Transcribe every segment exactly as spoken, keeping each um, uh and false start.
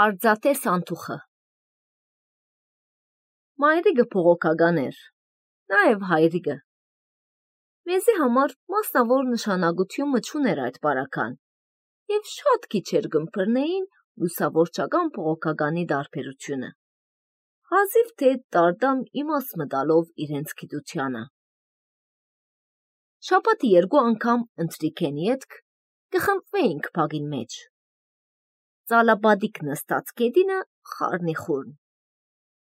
Արձատես անթուխը Մայրիկը փողոքական էր, նաև հայրիկը։ Մեզի համար մասնավոր նշանակությունը չուներ այդ պարական, և շատ քիչ էր գմփռնեին լուսավորչական փողոքականի դարբերությունը, հազիվ թե տարդամ իմաց մտալով իրենց գիտությանը։ Շաբաթի երկու անգամ ընթրիքենի ետք կխմբվեինք փագին մեջ։ Ծալաբադիկ նստած կետինը խառնիխուրն,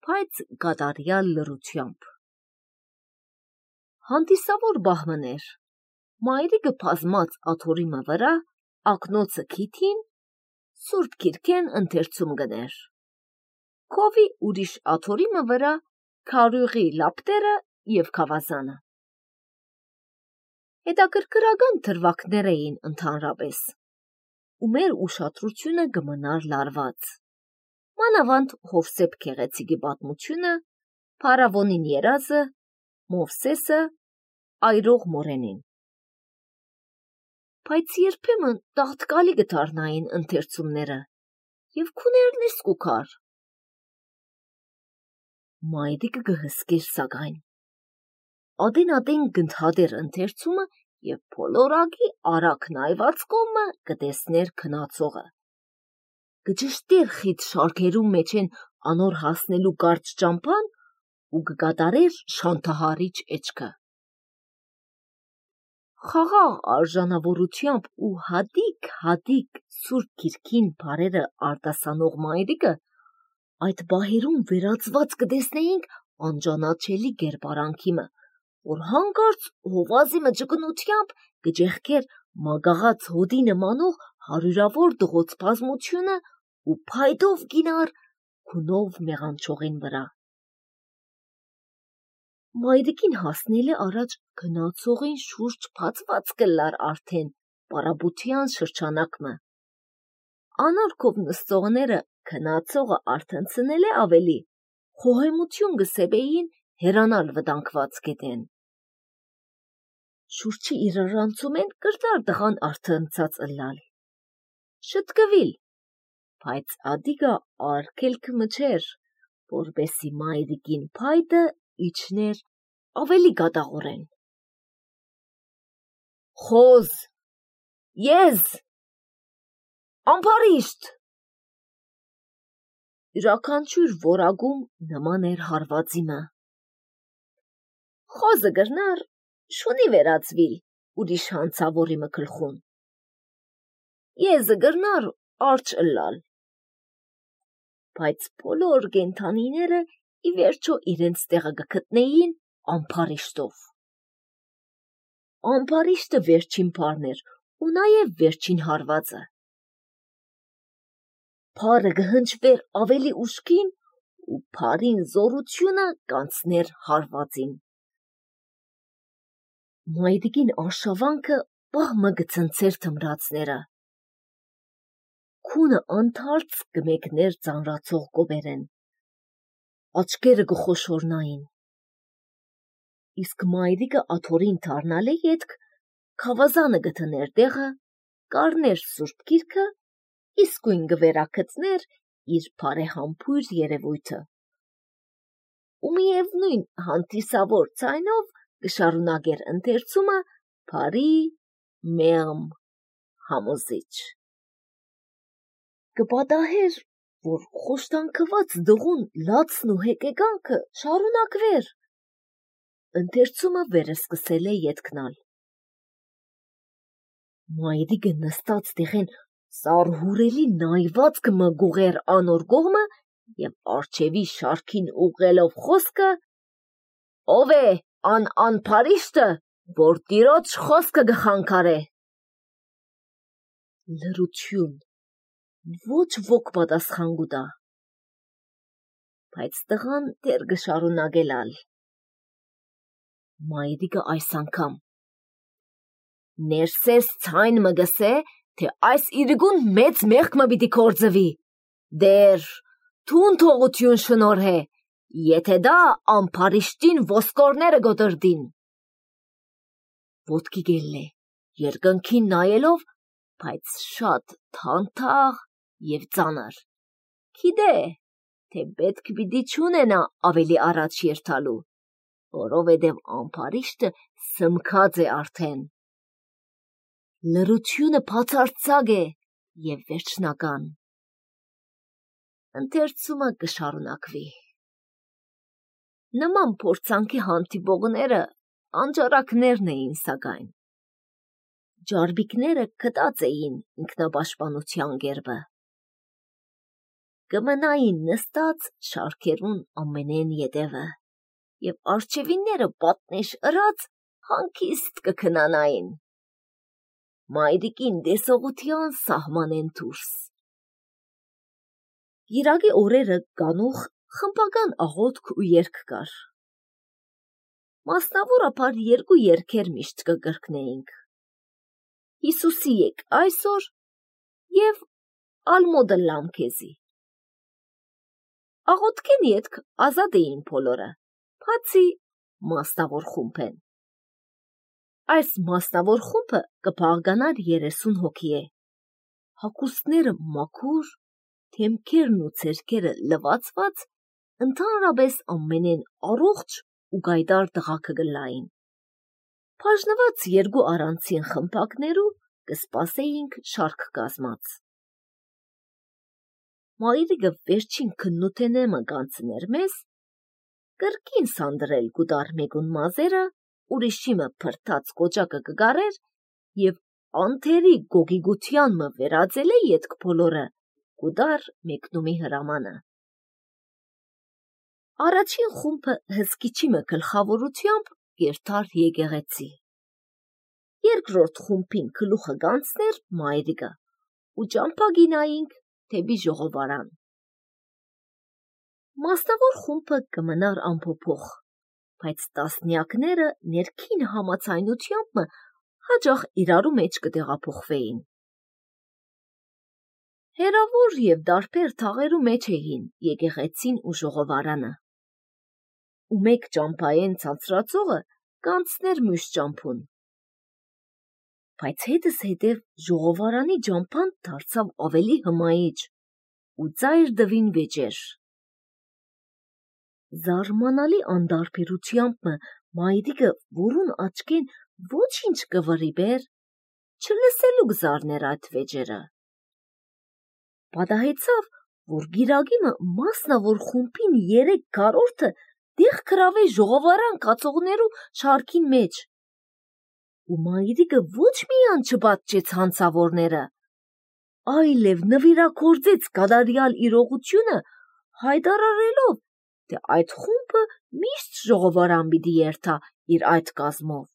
բայց կատարյալ լռությամբ։ Հանդիսավոր բահմներ, մայրիկը բազմած աթոռիմը վրա, ակնոցը քիթին, Սուրբ Կիրքեն ընթերցում գներ։ Քովի ուրիշ աթոռիմը վրա քարյուղի լապտերը և քավազանը։ Հետաքրքրական դրվագներ էին ընդհանրապես, ու մեր ուշադրությունը կմնար լարված։ Մանավանդ Հովսեփ Գեղեցիկի պատմությունը, փարավոնին երազը, Մովսեսը, այրող մորենին։ Բայց երբեմն տաղտկալի կդառնային ընթերցումները, և քուներն իսկ ուքար։ Մայրիկը կհսկեր սակայն։ Ադեն-ադեն կընդհատեր ընթերցումը և բոլորակի արագ նայված կողմը կտեսներ քնացողը։ Կճշտեր խիտ շարքերում մեջ են անոր հասնելու կարճ ճամփան ու կկատարեր շանթահարիչ էջքը։ Խաղաղ արժանավորությամբ ու հատիկ-հատիկ Սուրբ Կիրքին բառերը արտասանող մայրիկը այդ բահերում վերածված կտեսնեինք անճանաչելի կերպարանքիմը, որ հանկարծ հովազի մճկնությամբ կճեղքեր մագաղած հոդի նմանող հարյուրավոր դղոց բազմությունը ու փայտով գինար քունով մեղանչողին վրա։ Մայրիկին հասնելը առաջ քնացողին շուրջ բացված կլար արդեն պարաբության շրջանակը։ Անարգով նստողները քնացողը արթնցնել է ավելի, խոհեմություն կսեպեին հերանալ վտանգված գետեն։ Շուրջի իրարանցում են կրտար տղան արթնցած ըլլալ։ Շտկվիլ, բայց ադիգա արգելքը մչեր, որպեսի մայրիկին փայտը իջներ ավելի կատաղորեն։ Խոզ, եզ, ամբարիշտ։ Յուրաքանչյուր որակում նման էր հարվածիմը։ Խոզը գրնար շունի վերածվիլ ուրիշ հանցավորիմը գլխուն։ Եզը գրնար արջ ըլլալ։ Բայց բոլոր կենդանիները ի վերջո իրենց տեղը կգտնեին ամբարիշտով։ Ամբարիշտը վերջին բառն էր ու նաև վերջին հարվածը։ Փարը կհնչվեր ավելի ուշքին ու փարին զորությունը կանցներ հարվածին։ Մայրիկին արշավանքը պահմը կցնցեր թմրածները։ Քունը անթարց կմեկներ ծանրացող կոբերեն, աչքերը կխոշորնային։ Իսկ մայրիկը աթոռին դառնալի ետք քավազանը գտներ տեղը, կառներ Սուրբ Գիրքը, իսկույն կվերագտներ իր բարեհամբույր երևույթը։ Ու միևնույն հանդիսավոր ձայնով կշարունակեր ընթերցումը բարի, մեղմ, համոզիչ։ Կպատահեր, որ խոշտանգված դղուն լացն ու հեկեկանքը շարունակվեր։ Ընթերցումը վերսկսել է ետքնալ։ Մայրիկը նստած տեղեն սարհուրելի նայված կմգուղեր անոր կողմը և արջևի շարքին ուղղելով խոսքը. «Ով է ան անփարիշտը, որ տիրոջ խոսքը կխանգարե»։ Լռություն, ոչ ոք պատասխան կտա։ Բայց տղան դեռ կշարունակելալ։ Մայրիկը այս անգամ. «Ներսես ցայն մը գսե, թե այս իրգուն մեծ մեղքը պիտի գործվի, դեր թուն թողություն շնորհե, եթե դա ամբարիշտին ոսկորները գոտրդին»։ Ոտքի գելլե, երկնքին նայելով, բայց շատ թանթաղ և ծանր։ Գիտե, թե պետք պիտի չունենա ավելի առաջ երթալու, որովհետև ամպարիշտը սմքած է արդեն։ Լռությունը բացարձակ է և վերջնական։ Ընթերցումը կշարունակվի։ Նման փորձանքի հանդիպողները անջարակներն էին սակայն։ Ջարբիկները գտած էին ինքնապաշտպանության գերբը։ Կմնային նստած շարքերուն ամենեն ետևը, և արջևինները պատնեշ ըրած հանգիստ կքնանային։ Մայրիկին դեսողության սահմանեն դուրս։ Գիրագի օրերը գանուխ խմբական աղոթք ու երգ կար։ Մասնավորապես երկու երգեր միշտ կկրկնեինք. Հիսուսի եք այսօր և ալմոդը լամ քեզի։ Աղոթքեն ետք ազատ էին բոլորը, բացի մասնավոր խումբեն։ Այս մասնավոր խումբը կբաղկանար երեսուն հոգի է։ Հագուստները մաքուր, դեմքերն ու ձեռքերը լվացված, ընդհանրապես ամենեն առողջ ու գայդար տղաքը կլային։ Բաժնված երկու առանձին խմբակներու կսպասեինք շարք կազմած։ Մայրիկը վերջին քննութենեմը կանցներ մեզ, կրկին սանդրել գուդար մեկուն մազերը, ուրիշիմը փրթած կոճակը կգարեր և անթերի գոգիգության մը վերածել է ետք բոլորը գուդար մեկնումի հրամանը։ Առաջին խումբը հսկիչի մը գլխավորությամբ կերթար եկեղեցի։ Երկրորդ խումբին գլուխը կանցներ մայրիկը ու ճամփա գինայինք դեպի ժողովարան։ Մասնավոր խումբը կմնար անփոփոխ, բայց տասնյակները ներքին համացայնությամբ մը հաճախ իրարու մեջ կտեղափոխվեին։ Հերավոր և դարբեր թաղերու մեջ էին եկեղեցին ու ժողովարանը։ Ու մեկ ճամփայեն ցածրածողը կանցներ մյուս ճամփուն։ Բայց հետս հետև ժողովարանի ճամփան դարձավ ավելի հմայիչ ու ծայր դվին վեճեր։ Զարմանալի անդարբերությամբ մը մայրիկը, որուն աչքեն ոչինչ կվրիբեր, չլսելու կզարներ այդ վեճերը։ Պատահեցավ, որ գիրագի մը մասնավոր խումբին երեք քառորդը դեղ գրավե ժողովարան կացողներու շարքին մեջ։ Ու մայրիկը ոչ միան չպատճեց հանցավորները, այլև նվիրագործեց կատարյալ իրողությունը, հայտարարելով, թե այդ խումբը միշտ ժողովարան պիտի երթա իր այդ կազմով,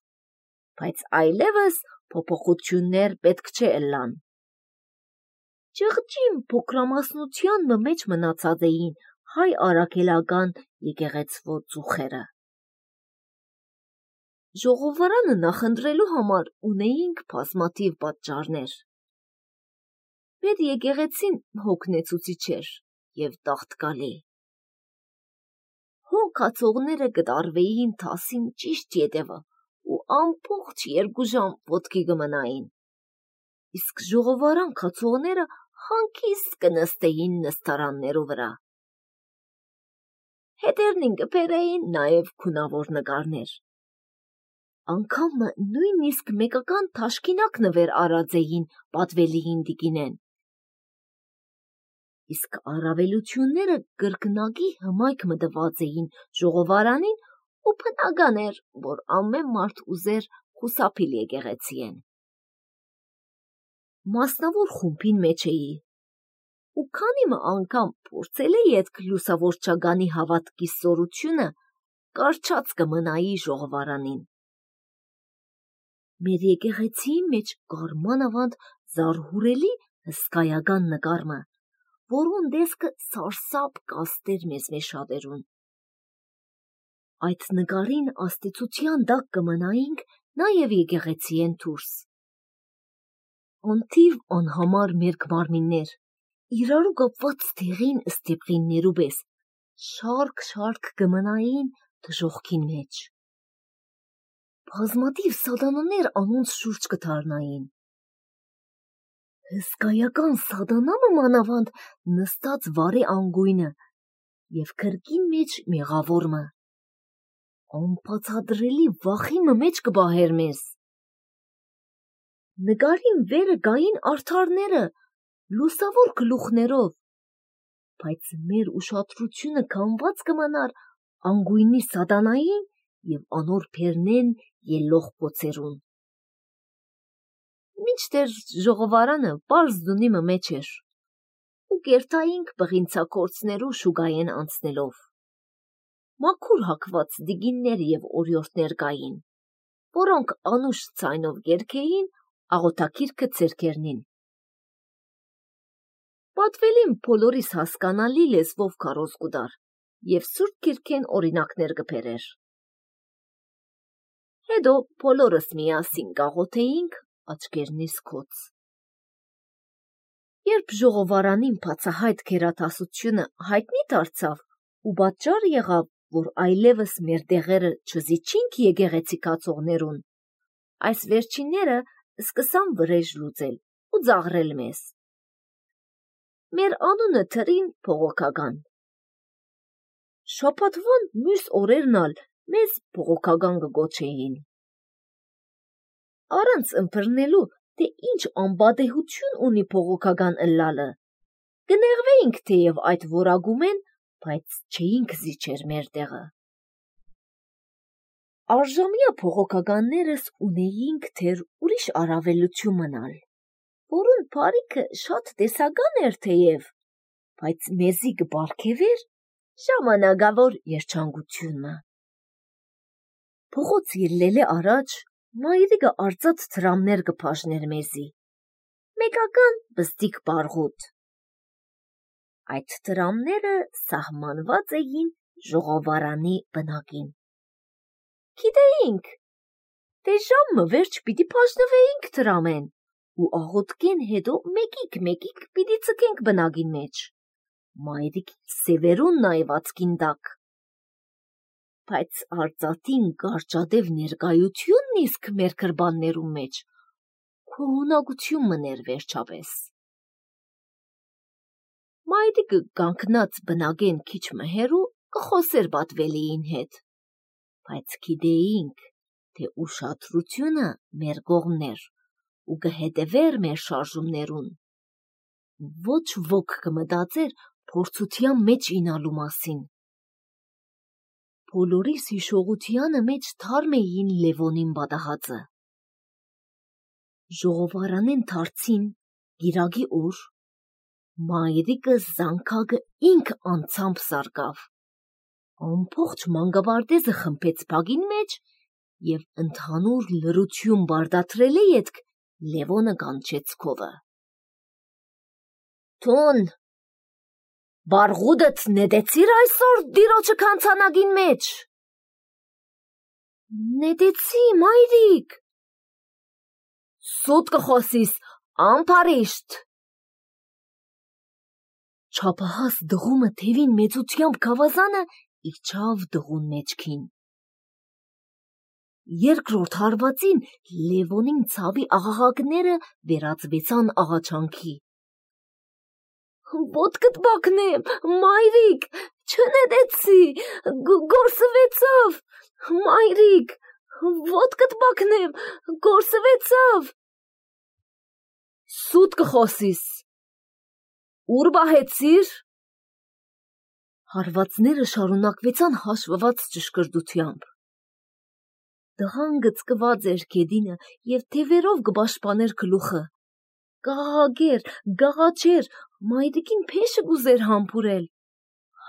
բայց այլևս փոփոխություններ պետք չէ ըլլան։ Ճղճին փոքրամասնության մը մեջ մնացած էին հայ առաքելական եկեղեցվո ծուխերը։ Ժողովարանը նախընտրելու համար ունեինք բազմաթիվ պատճառներ։ Մեր եկեղեցին հոգնեցուցիչ էր և տաղտկալի։ Հոգ կացողները կտարվեին թասին ճիշտ ետևը ու ամբողջ երկու ժամ ոտքի կմնային, իսկ ժողովարան կացողները հանգիստ կնստեին նստարաններու վրա։ Հետերնին կբերեին նաև քունավոր նկարներ։ Անգամ նույնիսկ մեկական թաշկինակ նվեր արած էին պատվելիին տիկինեն։ Իսկ առավելությունները կրկնակի հմայք մտված էին ժողովարանին ու բնական էր, որ ամեն մարդ ուզեր խուսափիլ եկեղեցիեն։ Մասնավոր խումբին մեջ էի, ու քանի մը անգամ փորձել էի այդ լուսավորչագանի հավատքի սորությունը, կարճած կմնայի ժողովարանին։ Մեր եկեղեցիի մեջ կար մանավանդ զարհուրելի հսկայական նկարը, որուն տեսքը սարսափ կաստեր մեզ մեջ շատերուն։ Այդ նկարին աստեցության տակ կմնայինք նաև եկեղեցիեն դուրս։ Անթիվ անհամար մեր մարմիններ, իրարու կապված դեղին ստեպղիններու պես, շարք-շարք կմնային դժոխքին մեջ։ Բազմաթիվ սատանաներ անոնց շուրջ կդառնային։ Հսկայական սադանամը մանավանդ նստած վարի անգույնը և քրկին մեջ մեղավորմը։ Անբացատրելի վախիմը մեջ կբահեր մեզ։ Նկարին վերը գային արդարները, լուսավոր գլուխներով, բայց մեր ուշադրությունը կանված կմնար անգույնի սադանային և անոր փերնեն ելլող պոցերուն։ Մինչդեռ ժողովարանը պարզ դունիմը մեջ էր, ու կերտայինք բղինցակորցներու շուգայեն անցնելով։ Մաքուր հագված դիգիններ և օրիորդներ կային, որոնք անուշ ձայնով երգեին աղոթագիրքը ձեռքերնին։ Պատվելին բոլորիս հասկանալի լեզվով քարոզ կուտար և Սուրբ Գիրքեն օրինակներ կբերեր։ Հետո բոլորս միասին կաղոթեինք աչքերնիս քոց։ Երբ ժողովարանին բացահայտ գերատասությունը հայտնի դարձավ ու պատճառ եղավ, որ այլևս մեր դեղերը չզիջինք եկեղեցի կացողներուն, այս վերջինները սկսան վրեժ լուծել ու ծաղրել մեզ։ Մեր անունը թրին փողոքական։ Շաբաթվան մյուս օրերն ալ մեզ փողոքական կգոչեին։ Առանց ըմբռնելու, թե ինչ անպատեհություն ունի փողոքական ըլլալը, կնեղվեինք թեև այդ որակումեն, բայց չէինք զիջեր մեր տեղը։ Առժամյա փողոքականներս ունեինք թեր ուրիշ առավելություն մնալ, որուն բարիքը շատ տեսական էր թեև, բայց մեզի կբարգևեր ժամանակավոր երջանկությունը։ Փողոց ելլելե առաջ մայրիկը արծաթ դրամներ կբաժներ մեզի, մեկական բստիկ բարգուտ։ Այդ դրամները սահմանված էին ժողովարանի բնակին։ Գիտեինք, թե ժամը վերջ պիտի բաժնվեինք դրամեն ու աղոթքեն հետո մեկիկ-մեկիկ պիտի ձգենք բնակին մեջ, մայրիկի սևերուն նայվածքին տակ։ Բայց արծաթին կարճադև ներկայությունն իսկ մեր գրբաններու մեջ քոհունակություն մներ վերջապես։ Մայրիկը կանգնած բնակեն քիչ մհերու կխոսեր պատվելիին հետ, բայց գիտեինք, թե ուշադրությունը մեր կողմներ ու կհետևեր մեր շարժումներուն։ Ոչ ոք կմտածեր փորձության մեջ ինալու մասին։ Բոլորիս հիշողությանը մեջ թարմ էին Լևոնին պատահածը։ Ժողովարանեն դարձին գիրագի օր, մայրիկը զանգակը ինք անցամբ սարկավ, ամբողջ մանկապարտեզը խմբեց բակին մեջ և ընդհանուր լռություն բարդացրելե ետք Լևոնը կանչեց քովը։ Թուն, բարգուտդ նետեցիր այսօր տիրոջը քանցանակին մեջ։ Նետեցի, մայրիկ։ Սուտ կխոսիս, ամփարիշտ։ Չափահաս դղումը թևին մեծությամբ գավազանը իջավ դղուն մեջքին։ Երկրորդ հարվածին Լևոնին ցավի աղաղակները վերածվեցան աղաչանքի։ Ոտքդ բակնեմ, մայրիկ, չնետեցի, գործվեցավ, մայրիկ, ոտքդ բակնեմ, գործվեցավ։ Սուտ կխոսիս, ուր բահեցիր։ Հարվածները շարունակվեցան հաշվված ճշգրտությամբ։ Տղան գծկված էր գեդինը և թևերով կպաշտպաներ գլուխը։ Կաղաղագեր, գաղաչեր, մայրիկին փեշը կուզեր համբուրել։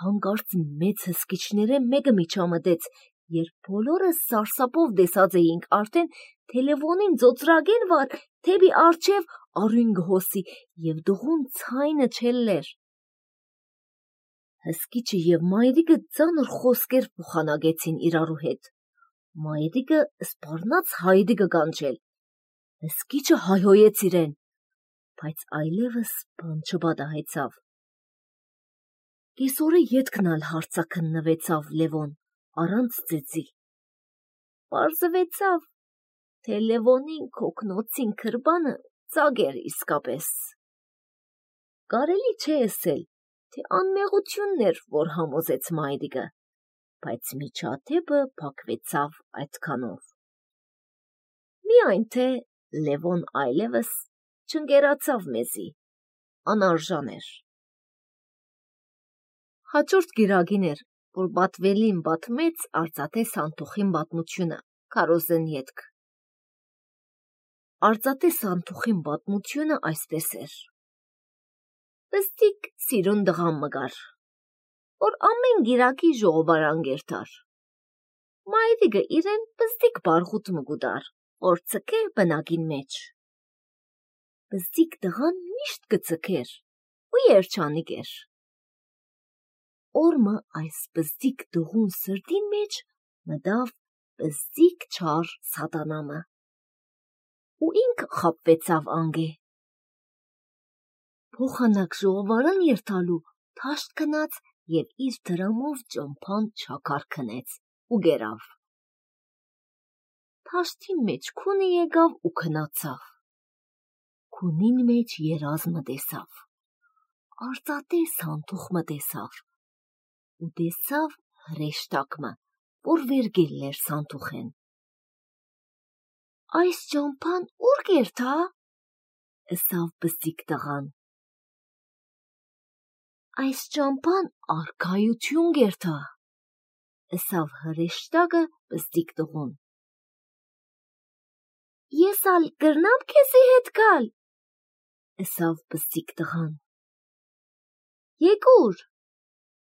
Հանկարծ մեծ հսկիչները մեկը միջամտեց, երբ բոլորը սարսափով տեսած էինք արդեն, թե Լևոնին ծոծրագեն վար թեպի առջև արյուն կհոսի և դղուն ցայնը չելլեր։ Հսկիչը և մայրիկը ծանր խոսքեր փոխանակեցին իրարու հետ։ Մայրիկը սպառնաց հայդի կկանչել։ Հսկիչը հայհոյեց իրեն, բայց այլևս բան չպատահեցավ։ Կեսօրը ետքն ալ հարցաքննվեցավ Լևոն առանց ծեծի։ Պարզվեցավ, թե Լևոնին քոքնոցին քրբանը ծակ էր իսկապես։ Կարելի չէ ասել, թե անմեղությունն էր, որ համոզեց մայրիկը, բայց միջադեպը փակվեցավ այդքանով։ Միայն թե Լևոն այլևս չընկերացավ մեզի, անարժան էր։ Հաջորդ գիրագին էր, որ Բատվելին բատմեց արծաթե Սանթուխին պատմությունը, քարոզեն ետք։ Արծաթե Սանթուխին պատմությունը այսպես էր. Պստիկ սիրուն դղամ մգար, որ ամեն գիրակի ժողովարան գերտար։ Մայրիկը իրեն պստիկ բարխուտ մգուդար, որ ցկե բնագին մեջ։ Պստիկ դղան միշտ կցկեր ու երջանիկ էր։ Օրմը այս պստիկ դղուն սրտին մեջ մտավ պստիկ չար սատանամը, ու ինք խապվեցավ անգե։ Փոխանակ ժողովարան երթալու թաշտ կնաց և իր դրամով ճամփան չակար քնեց ու գերավ։ Թաշտի մեջ քունը եկավ ու քնացավ։ Քունին մեջ երազմը տեսավ, արծաթե Սանթուխը տեսավ ու տեսավ հրեշտակը, որ վերգելն էր Սանթուխեն։ Այս ճամփան ուր գերթա, ըսավ պստիկ տղան։ Այս ճամփան արքայություն գերթա, ըսավ հրեշտակը պստիկ տղուն։ Ես ալ կրնամ քեզի հետ գալ, ըսավ պստիկ տղան։ Եկուր,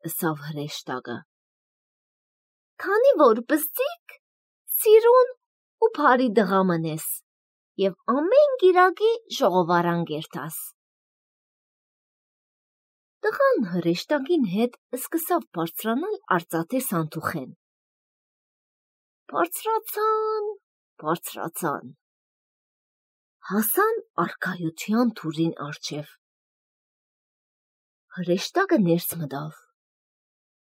ըսավ հրեշտակը։ Քանի որ պստիկ, սիրուն ու բարի դղամն ես, և ամեն գիրակի ժողովարան գերտաս։ Տղան հրեշտակին հետ սկսավ բարձրանալ արծաթե Սանթուխեն։ Բարձրացան, բարձրացան, հասան արքայության թուրին առջև։ Հրեշտակը ներս մտավ։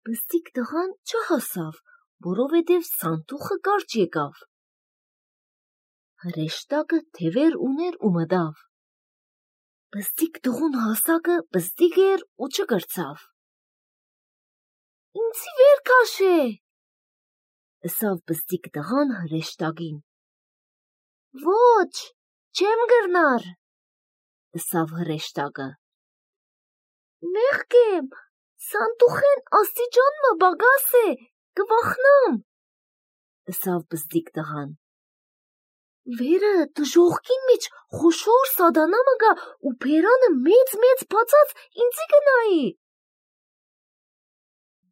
Պստիկ տղան չհասավ, որովհետև Սանթուխը կարճ եկավ։ Հրեշտակը թևեր ուներ ու մտավ։ Պստիկ տղուն հասակը պստիկ էր ու չկրծավ։ Ինձի վեր քաշե, ըսավ պստիկ տղան հրեշտակին։ Ոչ, չեմ գրնար, ըսավ հրեշտակը։ Մեղք եմ, Սանթուխեն աստիճանմը բագաս է, կվախնամ, ըսավ պստիկ տղան։ Վերը դժողքին մեջ խոշոր սատանամը գա ու բերանը մեծ-մեծ բացած ինձի գնայի։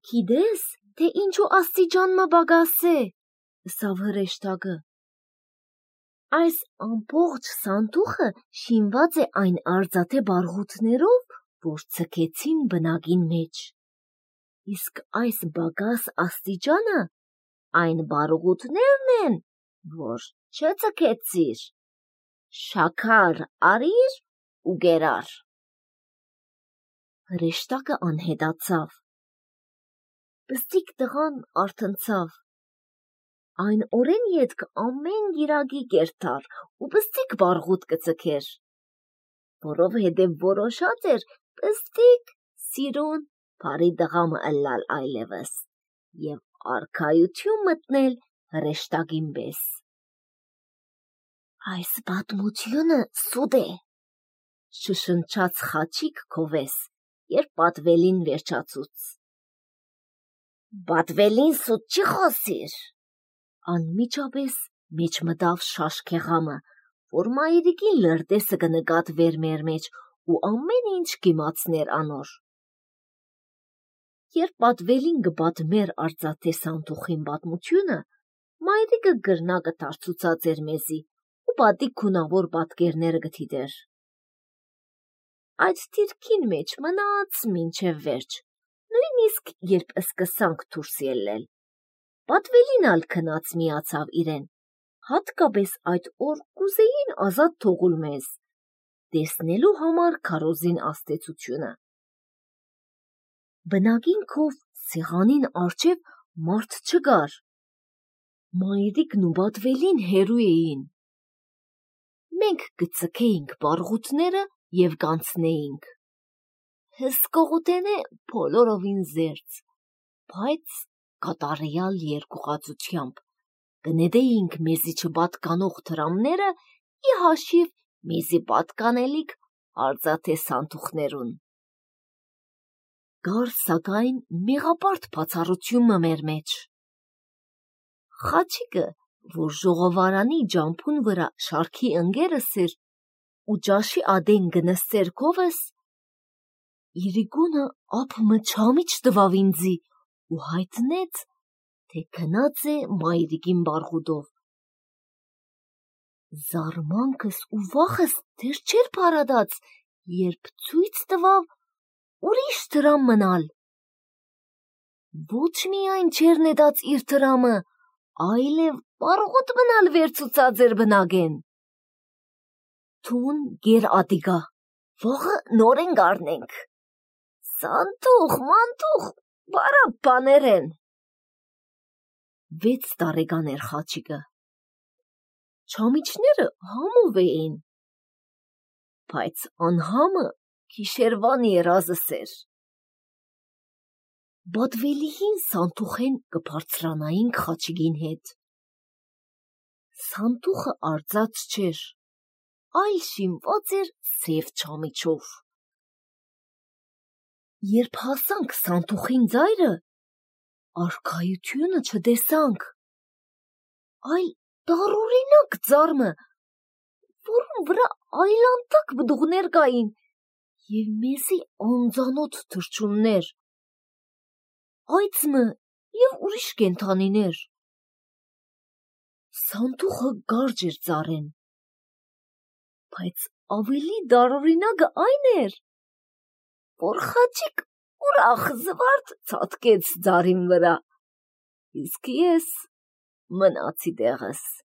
Գիտես, թե ինչու աստիճանմը բագաս է, ըսավ հրեշտակը։ Այս ամբողջ Սանթուխը շինված է այն արծաթե բարղութներով, որ ցկեցին բնագին մեջ, իսկ այս բագաս աստիճանը այն բարղութներն են, որ չցկեցիր, շաքար արիր ու գերար։ Հրեշտակը անհետացավ։ Պստիկ տղան արթնցավ։ Այն օրեն ետք ամեն գիրակի կերտար ու պստիկ բարղուտ կցկեր, որովհետև որոշած էր պստիկ սիրուն բարի դղամը ըլլալ այլևս և արքայություն մտնել հրեշտակին պես։ Այս պատմությունը սուտ է, շշնչաց խաչիկ քովես, երբ Բատվելին վերջացուց։ Բատվելին սուտ չի խոսիր, անմիջապես մեջ մտավ շաշքեղամը, որ մայրիկին լրտեսը կնկատվեր մեր մեջ ու ամեն ինչ կիմացներ անոր։ Երբ Բատվելին կպատմեր արծաթե Սանթուխին պատմությունը, մայրիկը գրնակը դարձուցած էր մեզի ու պատիկ քունավոր պատկերները գտիդեր։ Այդ դիրքին մեջ մնաց մինչև վերջ, նույնիսկ երբ սկսանք դուրս ելնել։ Բատվելին ալ քնած միացավ իրեն, հատկապես այդ օր կուզեին ազատ թողուլ մեզ, տեսնելու համար քարոզին աստեցությունը։ Բնագին քով սեղանին առջև մարդ չկար։ Մայրիկն ու Բատվելին հեռու էին։ մենք կծքեինք բարգուտները և կանցնեինք։ Հսկողութենե բոլորովին զերծ, բայց կատարյալ երկյուղածությամբ կնետեինք մեզի չպատկանող թրամները ի հաշիվ մեզի պատկանելիք արծաթե սանդուղներուն։ Կար սակայն մեղապարտ բացառությունը մեր մեջ։ Խաչիկը, որ ժողովարանի ջամփուն վրա շարքի ընկերս էր ու ճաշի ադեն գնստեր քովս, իրիկունը ափմը չամիչ տվավ ինձի ու հայտնեց, թե գնաց է մայրիկին բարգուտով։ Զարմանքս ու վախս դեռ չէր փարադած, երբ ցույց տվավ ուրիշ թրամ մնալ։ Ոչ միայն չէր նետած իր թրամը, այլև բարգուտ մնալ վերցուցած էր բնագեն։ Թուն գեր ադիգա, վաղը նորեն գարնենք։ Սանդուղ, մանտուղ, բարապ բաներ են։ Վեց տարեկան էր խաչիկը։ Չամիչները համով էին, բայց անհամը գիշերվան երազս էր։ Բադվելիհին սանդուղեն կբարձրանայինք խաչիկին հետ։ Սանդուղը արծաթ չէր, այլ շինված էր սև չամիչով։ Երբ հասանք սանդուղին ծայրը, արքայությունը չտեսանք, այլ տարօրինակ ծառմը, որում վրա այլանդակ բդուղներ կային և մեզի անծանոթ թռչուններ, այծմը և ուրիշ կենդանիներ։ Սանդուղը կարճ էր ծառեն, բայց ավելի տարօրինակը այն էր, որ խաչիկ ուրախ զվարթ ցատկեց ծառին վրա, իսկ ես մնացի տեղս։